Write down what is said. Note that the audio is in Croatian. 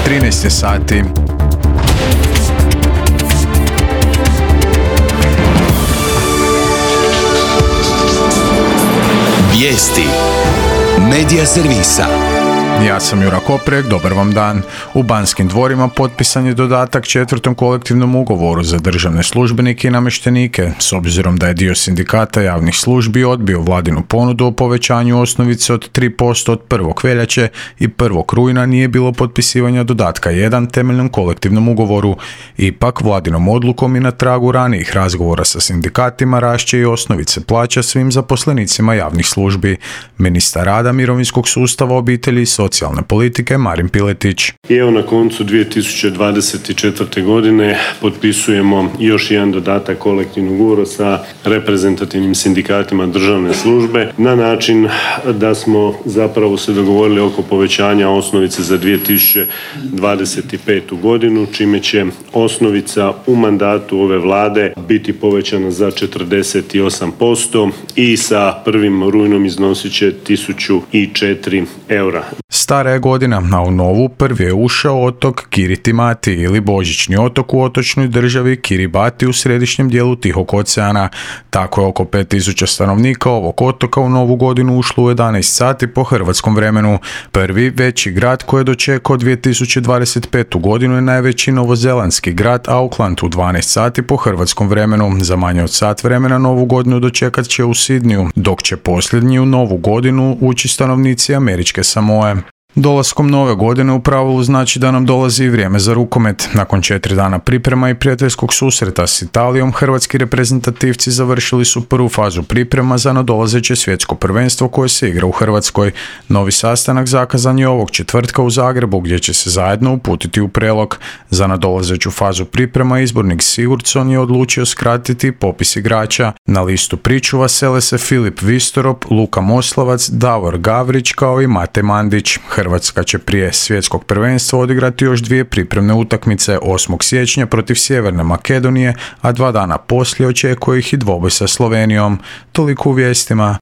13 je sati. Vijesti Medija servisa. Ja sam Jura Koprek, dobar vam dan. U Banskim dvorima potpisan je dodatak 4. kolektivnom ugovoru za državne službenike i namještenike, s obzirom da je dio sindikata javnih službi odbio vladinu ponudu o povećanju osnovice od 3% od 1. veljače i 1. rujna nije bilo potpisivanja dodatka 1 temeljnom kolektivnom ugovoru. Ipak, vladinom odlukom i na tragu ranijih razgovora sa sindikatima rašće i osnovice plaća svim zaposlenicima javnih službi. Ministar rada, mirovinskog sustava, obitelji i socijalne politike Marin Piletić. I evo na koncu 2024. godine potpisujemo još jedan dodatak kolektivnog ugovora sa reprezentativnim sindikatima državne službe na način da smo zapravo se dogovorili oko povećanja osnovice za 2025. godinu, čime će osnovica u mandatu ove vlade biti povećana za 48% i sa 1. rujnom iznosit će 1004 eura. Stara je godina, a u novu prvi je ušao otok Kiritimati ili Božićni otok u otočnoj državi Kiribati u središnjem dijelu Tihog oceana. Tako je oko 5000 stanovnika ovog otoka u novu godinu ušlo u 11 sati po hrvatskom vremenu. Prvi veći grad koji je dočekao 2025. godinu je najveći novozelandski grad Auckland u 12 sati po hrvatskom vremenu. Za manje od sat vremena novu godinu dočekat će u Sidniju, dok će posljednji u novu godinu ući stanovnici Američke Samoe. Dolaskom nove godine u pravilu znači da nam dolazi i vrijeme za rukomet. Nakon 4 dana priprema i prijateljskog susreta s Italijom, hrvatski reprezentativci završili su prvu fazu priprema za nadolazeće svjetsko prvenstvo koje se igra u Hrvatskoj. Novi sastanak zakazan je ovog četvrtka u Zagrebu, gdje će se zajedno uputiti u Prelog. Za nadolazeću fazu priprema izbornik Sigurdsson je odlučio skratiti popis igrača. Na listu pričuva sele se Filip Vistorop, Luka Moslavac, Davor Gavrić kao i Mate Mandić. Hrvatska će prije svjetskog prvenstva odigrati još 2 pripremne utakmice 8. siječnja protiv Sjeverne Makedonije, a 2 dana poslije očekuje ih i dvoboj sa Slovenijom. Toliko u vijestima.